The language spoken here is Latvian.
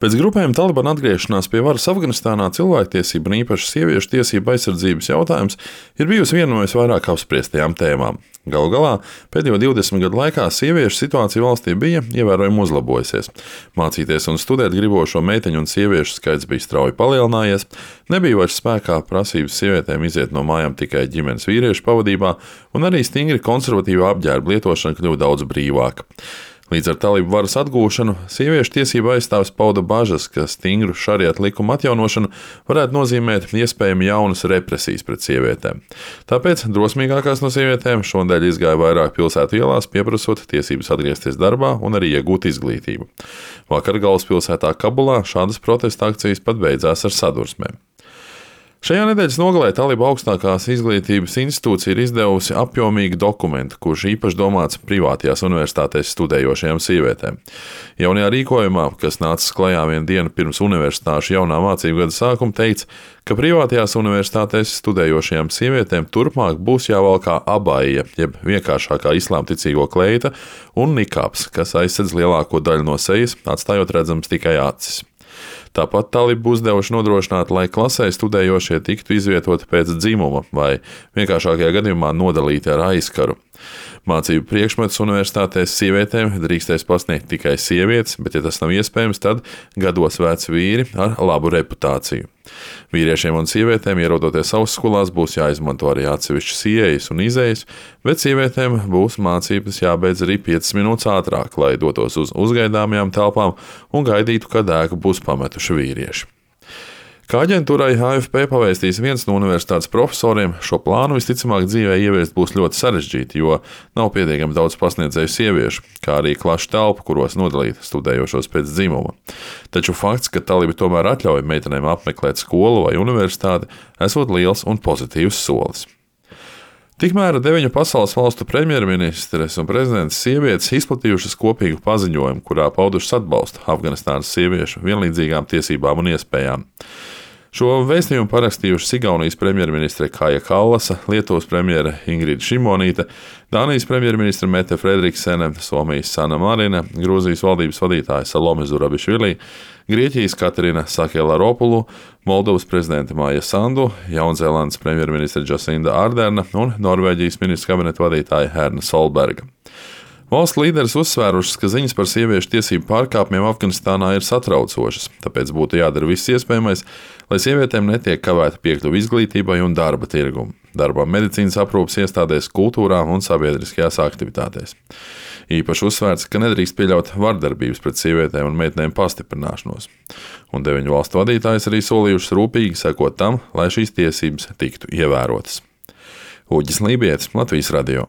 Pēc grupējuma Talibana atgriešanās pie varas Afganistānā cilvēktiesību un īpaši sieviešu tiesību aizsardzības jautājums ir bijusi viena no visvairāk apspriestajām tēmām. Galu galā pēdējo 20 gadu laikā sieviešu situācija valstī bija ievērojami uzlabojusies. Mācīties un studēt gribošo meiteņu un sieviešu skaits bija strauji palielinājies, nebija vairs spēkā prasības sievietēm iziet no mājām tikai ģimenes vīriešu pavadībā, un arī stingri konservatīva apģērba lietošana kļuva daudz brīvāka. Līdz ar talību varas atgūšanu sieviešu tiesību aizstāvis pauda bažas, ka stingru šariatu likumu atjaunošanu varētu nozīmēt iespējami jaunas represijas pret sievietēm. Tāpēc drosmīgākās no sievietēm šonadēļ izgāja vairāk pilsētu ielās, pieprasot tiesības atgriezties darbā un arī iegūt izglītību. Vakar galvaspilsētā Kabulā šādas protesta akcijas pat beidzās ar sadursmēm. Šajā nedēļas nogalē Taliba augstākās izglītības institūcija ir izdevusi apjomīgu dokumentu, kurš īpaši domāts privātajās universitātēs studējošajām sievietēm. Jaunajā rīkojumā, kas nācis klajā vienu dienu pirms universitāšu jaunā mācību gada sākuma, teica, ka privātajās universitātēs studējošajām sievietēm turpmāk būs jāvalkā abaija, jeb vienkāršākā islāmticīgo kleita, un nikābs, kas aizsedz lielāko daļu no sejas, atstājot redzams tikai acis. Tāpat Taliba uzdevuši nodrošināt, lai klasē studējošie tiktu izvietoti pēc dzimuma vai vienkāršākajā gadījumā nodalīti ar aizkaru. Mācību priekšmetus universitātēs sievietēm drīkstēs pasniegt tikai sievietes, bet, ja tas nav iespējams, tad gados veci vīri ar labu reputāciju. Vīriešiem un sievietēm, ierodoties augstskolās, būs jāizmanto arī atsevišķas ieejas un izejas, bet sievietēm būs mācības jābeidz arī 5 minūtes ātrāk, lai dotos uz uzgaidāmajām telpām un gaidītu, kad ēku būs pametuši vīrieši. Kā aģentūrai AFP pavēstīs viens no universitātes profesoriem, šo plānu visticamāk dzīvē ieviest būs ļoti sarežģīti, jo nav pietiekami daudz pasniedzēju sieviešu, kā arī klašu telpu, kuros nodalīt studējošos pēc dzimuma. Taču fakts, ka Taliba tomēr atļauj meitenēm apmeklēt skolu vai universitāti, esot liels un pozitīvs solis. Tikmēr 9 pasaules valstu premjerministres un prezidents sievietes izplatījušas kopīgu paziņojumu, kurā paudušas atbalstu Afganistānas sieviešu vienlīdzīgām tiesībām un iespējām. Šo vēstījumu parakstījušas Igaunijas premjerministre Kaja Kallasa, Lietuvas premjere Ingrida Šimonīte, Dānijas premjerministre Mette Fredriksene, Somijas Sanna Marina, Grūzijas valdības vadītāja Salome Zurabišvili, Grieķijas Katrina Sakelaropulu, Moldovas prezidente Māja Sandu, Jaunzēlandes premjerministre Jacinda Arderna un Norvēģijas ministra kabineta vadītāja Erna Solberga. Valsts līderis uzsvērušas, ka ziņas par sieviešu tiesību pārkāpumiem Afganistānā ir satraucošas, tāpēc būtu jādara viss iespējamais, lai sievietēm netiek kavēta piekļuve izglītībai un darba tirgum, darbam medicīnas aprūpes iestādēs, kultūrā un sabiedriskajās aktivitātēs. Īpaši uzsvērts, ka nedrīkst pieļaut vardarbības pret sievietēm un meitenēm pastiprināšanos. Un 9 valstu vadītājs arī solījušas rūpīgi sekot tam, lai šīs tiesības tiktu ievērotas. Uģis Lībietis, Latvijas radio.